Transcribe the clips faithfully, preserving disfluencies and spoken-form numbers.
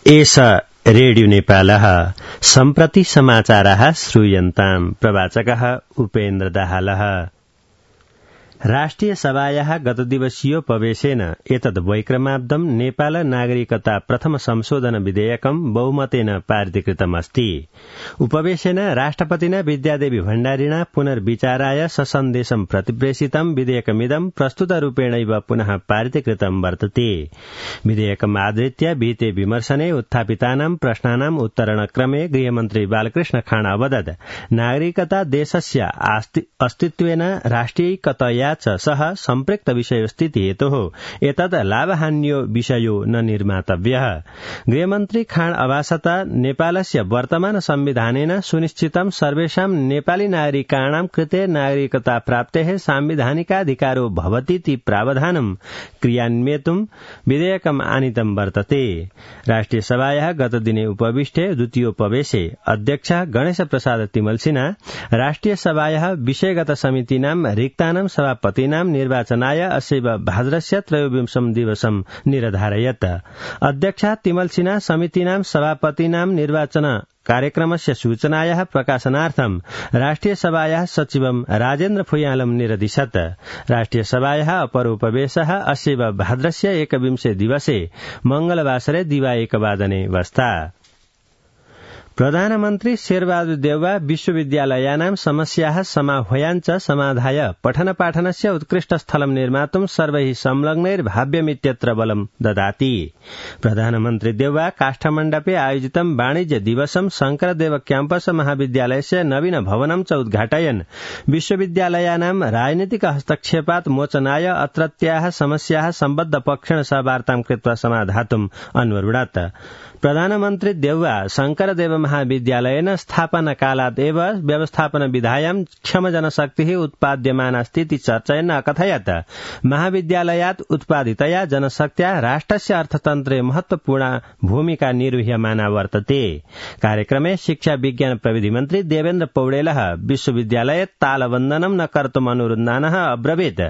एष रेडियो नेपालः सम्प्रति समाचारः श्रूयन्ताम्। प्रवाचकः उपेन्द्र दाहालः। राष्ट्रिय सभायाः गतदिवसीयोपवेशेन एतद् वैक्रमाब्दं नेपाल नागरिकता प्रथम संशोधन विधेयकं बहुमतेन पारितीकृतमस्ति। उपवेशेन राष्ट्रपतिना विद्यादेवी भण्डारिणा पुनर्विचाराय ससन्देशं प्रतिप्रेषितं विधेयकमिदं प्रस्तुतरूपेणैव पुनः पारितीकृतं वर्तते। विधेयकम् आधृत्य विहिते विमर्शने उत्थापितानां प्रश्नानाम् उत्तरणक्रमे गृहमन्त्री बालकृष्ण खाँड अवदत् नागरिकता देशस्य अस्तित्वेन राष्ट्रियैकतया च सह सम्पृक्त विषयस्थिति हेतोः एतद् लाभहान्यो विषयो न निर्मातव्यः। गृहमन्त्री खाँड अभासत नेपालस्य वर्तमान संविधानेन सुनिश्चितं सर्वेषां नेपाली नागरिकाणां कृते नागरिकता प्राप्तेः सांविधानिकाधिकारो भवतीति प्रावधानं क्रियान्वयितुं विधेयकम् आनीतं वर्तते। राष्ट्रिय सभायाः गतदिने उपविष्टे द्वितीयोपवेशे अध्यक्षः गणेश प्रसाद तिमल्सिना राष्ट्रिय सभायाः विषयगत समितीनां रिक्तानां सभापतीनां निर्वाचनाय अस्यैव भाद्रस्य त्रयोविंशं दिवसं निरधारयत्। अध्यक्षः तिमल्सिना समितीनां सभापतीनां निर्वाचन कार्यक्रमस्य सूचनायाः प्रकाशनार्थं राष्ट्रिय सभायाः सचिवं राजेन्द्र फुयालं निरदिशत्। राष्ट्रिय सभायाः अपर उपवेशः अस्यैव भाद्रस्य एकविंशे दिवसे मंगलवासरे दिवा एकवादने वस्ता। प्रधानमन्त्री शेरबहादुर देउवा विश्वविद्यालयानां समस्याः समाह्वयाञ्च समाधाय पठनपाठनस्य उत्कृष्ट स्थलं निर्मातुं सर्वैः संलग्नैर्भाव्यमित्यत्र बलं ददाति। प्रधानमन्त्री देउवा काष्ठमण्डपे आयोजितं वाणिज्य दिवसं शंकरदेव क्याम्पस महाविद्यालयस्य नवीन भवनं च उद्घाटयन् विश्वविद्यालयानां राजनीतिक हस्तक्षेपात् मोचनाय अत्रत्याः समस्याः सम्बद्ध पक्षेण सह वार्तां कृत्वा समाधातुम् अनुवृणत्। प्रधानमन्त्री देउवा शंकरदेव महाविद्यालयेन स्थापना कालात् एव व्यवस्थापन विधायां क्षम जनशक्तिः उत्पाद्यमानास्तीति चर्चयन् अकथयत् महाविद्यालयात् उत्पादितया जनशक्त्या राष्ट्रस्य अर्थतन्त्रे महत्वपूर्ण भूमिका निर्वह्यमाना वर्तते। कार्यक्रमे शिक्षा विज्ञान प्रविधि मन्त्री देवेन्द्र पौडेलः विश्वविद्यालये तालबन्दनं न कर्तुम् अनुरुन्धानः अब्रवीत्।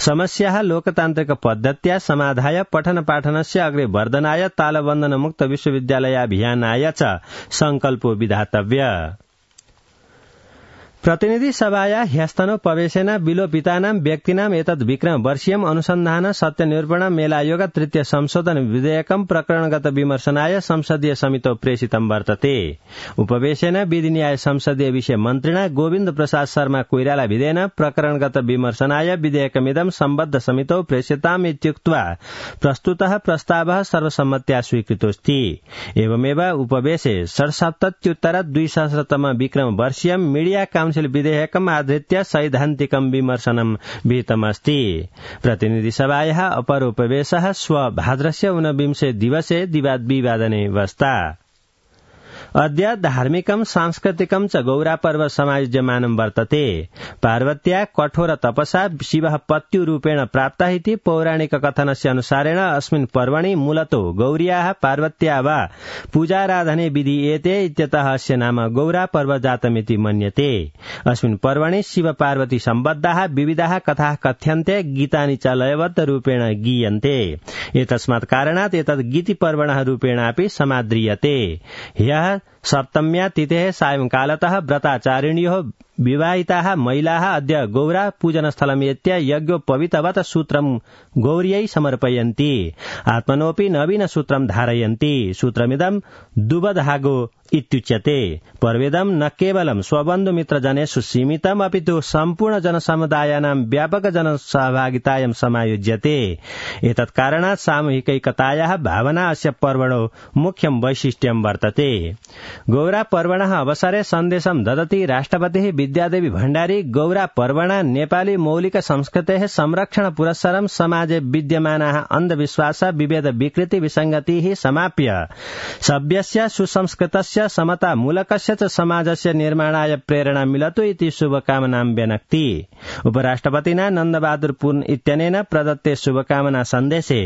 समस्याः लोकतान्त्रिक पद्धत्या समाधाय पठनपाठनस्य अग्रे वर्धनाय तालबन्दन मुक्त विश्वविद्यालयाभियानाय च संकल्पो विधातव्य। प्रतिनिधि सभाया ह्यस्तनोपवेशेन विलोपितानां व्यक्तीनां एतद् विक्रम वर्षीयम् अनुसन्धान सत्यनिरूपण मेलायोग तृतीय संशोधन विधेयकं प्रकरणगत विमर्शनाय संसदीय समितौ प्रेषितं वर्तते। उपवेशेन विधि न्याय संसदीय विषय मन्त्रिणा गोविन्द प्रसाद शर्मा कोइराला विधेयन प्रकरणगत विमर्शनाय विधेयकमिदं सम्बद्ध समितौ प्रेषिताम् इत्युक्त्वा प्रस्तुतः प्रस्तावः सर्वसम्मत्या स्वीकृतोऽस्ति। एवमेव उपवेशे षड्सप्तत्युत्तर द्विसहस्रतम विक्रम वर्षीयं मीडिया विधेयकम् आधृत्य सैद्धान्तिकं विमर्शनं विहितमस्ति। प्रतिनिधि सभायाः अपर उपवेशः श्व भाद्रस्य ऊनविंशे दिवसे दिवाद्विवादने वस्ता। अद्य धार्मिकं सांस्कृतिकं च गौरापर्व समायोज्यमानं वर्तते। पार्वत्या कठोर तपसा शिवः पत्युरूपेण प्राप्तः इति पौराणिक कथनस्य अनुसारेण अस्मिन् पर्वणि मूलतो गौर्याः पार्वत्या वा पूजाराधने विधीयते इत्यतः अस्य नाम गौरापर्व जातमिति मन्यते। अस्मिन् पर्वणि शिव पार्वती सम्बद्धाः विविधाः कथाः कथ्यन्ते, गीतानि च लयबद्ध रूपेण गीयन्ते। एतस्मात् कारणात् एतद् गीतिपर्वणः रूपेणापि समाद्रियते। ह्यः सप्तम्या तिथेः सायंकालतः व्रताचारिण्योः विवाहिताः महिलाः अद्य गौरा पूजनस्थलमेत्य यज्ञोपवीतवत् सूत्रं गौर्यै समर्पयन्ति। आत्मनोऽपि नवीन सूत्रं धारयन्ति। सूत्रमिदं दुबधागो इत्युच्यते। पर्वेदं न केवलं स्वबन्धुमित्रजनेषु सीमितम् अपितु सम्पूर्ण जनसमुदायानां व्यापक जनसहभागितायां समायोज्यते। एतत् कारणात् सामूहिकैकतायाः भावना अस्य पर्वणो मुख्यं वैशिष्ट्यं वर्तते। गौरा पर्वणः अवसरे सन्देशं ददति राष्ट्रपतिः विद्यादेवी भण्डारी गौरा पर्वणा नेपाली मौलिक संस्कृतेः संरक्षण पुरस्सरं समाजे विद्यमानाः अन्धविश्वास विभेद विकृति विसङ्गतिः समाप्य सभ्यस्य सुसंस्कृतस्य समता मूलकस्य च समाजस्य निर्माणाय प्रेरणा मिलतु इति शुभकामनां व्यनक्ति। उपराष्ट्रपतिना नन्दबहादुर पुन इत्यनेन प्रदत्ते शुभकामना सन्देशे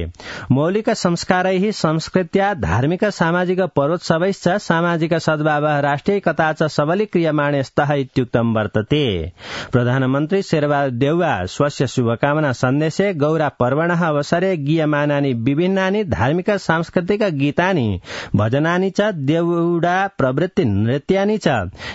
मौलिक संस्कारैः संस्कृत्या धार्मिक सामाजिक पर्वोत्सवैश्च सामाजिक सद्भावः राष्ट्रियैकता च सबलीक्रियमाणे स्तः इत्युक्तं वर्तते। प्रधानमन्त्री शेरबहादुर देउवा स्वस्य शुभकामना सन्देशे गौरा पर्वणः अवसरे गीयमानानि विभिन्नानि धार्मिक सांस्कृतिक गीतानि भजनानि च देउडा प्रवृत्ति नृत्यानि च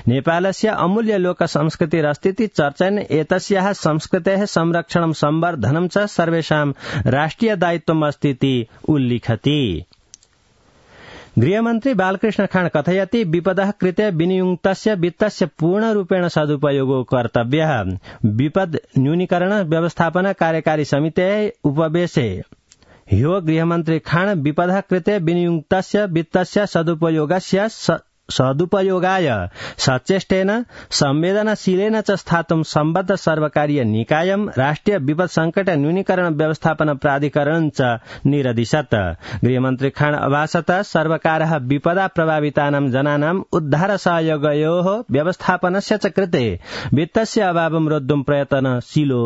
नेपालस्य अमूल्य लोक संस्कृतिरस्तीति चर्चन एतस्याः संस्कृतेः संरक्षणं संवर्धनं च सर्वेषां राष्ट्रिय दायित्वम् अस्तीति उल्लिखति। गृहमन्त्री बालकृष्ण खाँड कथयति विपदः कृते विनियुक्तस्य वित्तस्य पूर्णरूपेण सदुपयोगो कर्तव्यः। विपद न्यूनीकरण व्यवस्थापन कार्यकारी समितेः उपवेशे ह्यो गृहमन्त्री खाँड विपदः कृते विनियुक्तस्य वित्तस्य सदुपयोगस्य सदुपयोगाय सचेष्टेन संवेदनशीलेन च स्थातुं सम्बद्ध सर्वकारीय निकायं राष्ट्रिय विपद संकट न्यूनीकरण व्यवस्थापन प्राधिकरण च निरदिशत्। गृहमन्त्री खाँड अभासत सर्वकारः विपदा प्रभावितानां जनानां उद्धार सहयोगयोः व्यवस्थापनस्य च कृते वित्तस्य अभावं रोद्धुं प्रयत्नशीलो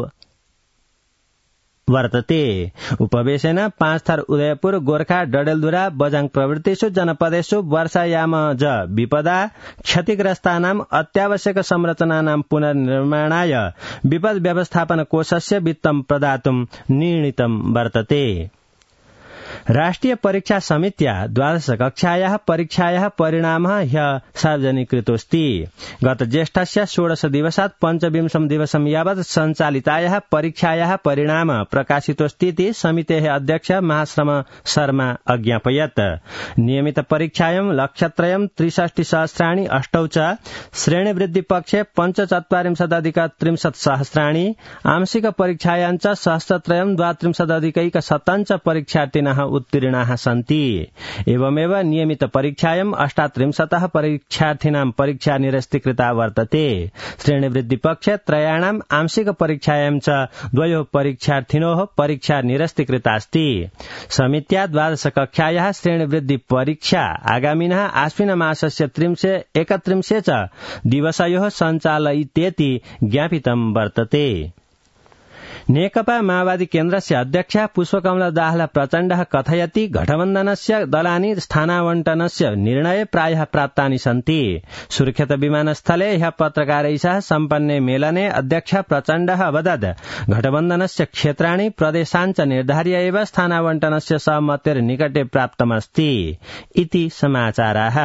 वर्तते। उपवेशेन पाँचथर उदयपुर गोर्खा डडेलधुरा बझाङ प्रभृतिषु जनपदेषु वर्षायामज विपदा क्षतिग्रस्तानां अत्यावश्यक संरचनानां पुनर्निर्माणाय विपद व्यवस्थापन कोषस्य वित्तं प्रदातुं निर्णीतं वर्तते। राष्ट्रिय परीक्षा समित्या द्वादश कक्षायाः परीक्षायाः परिणामः ह्यः सार्वजनिकृतोऽस्ति। गत ज्येष्ठस्य षोडश दिवसात् पञ्चविंशं दिवसं यावत् सञ्चालितायाः परीक्षायाः परिणाम प्रकाशितोऽस्तीति समितेः अध्यक्ष महाश्रम शर्मा अज्ञापयत्। नियमित परीक्षायां लक्षत्रयं त्रिषष्टि सहस्राणि अष्टौ च श्रेणीवृद्धि पक्षे पञ्चचत्वारिंशदधिक त्रिंशत् सहस्राणि आंशिक परीक्षायां च सहस्रत्रयं द्वात्रिंशदधिकैक शतं च परीक्षार्थिनः उत्तीर्णाः सन्ति। एवमेव नियमित परीक्षायां अष्टात्रिंशतः परीक्षार्थिनां परीक्षा निरस्तीकृता वर्तते। श्रेणीवृद्धि पक्षे त्रयाणाम् आंशिक परीक्षायां च द्वयोः परीक्षार्थिनोः परीक्षा निरस्तीकृतास्ति। समित्या द्वादश कक्षायाः श्रेणीवृद्धि परीक्षा आगामिनः आश्विन मासस्य त्रिंशे एकत्रिंशे च दिवसयोः सञ्चालयितेति ज्ञापितं वर्तते। नेकपा माओवादी केन्द्रस्य अध्यक्ष पुष्पकमला दाहाल प्रचण्डः कथयति गठबन्धनस्य दलानि स्थानावण्टनस्य निर्णय प्रायः प्राप्तानि सन्ति। सुरक्षित विमानस्थले ह्यः पत्रकारैः सह सम्पन्ने मेलने अध्यक्ष प्रचण्डः अवदत् गठबन्धनस्य क्षेत्राणि प्रदेशाञ्च निर्धार्य एव स्थानावण्टनस्य सहमतेर्निकटे प्राप्तमस्ति इति समाचाराः।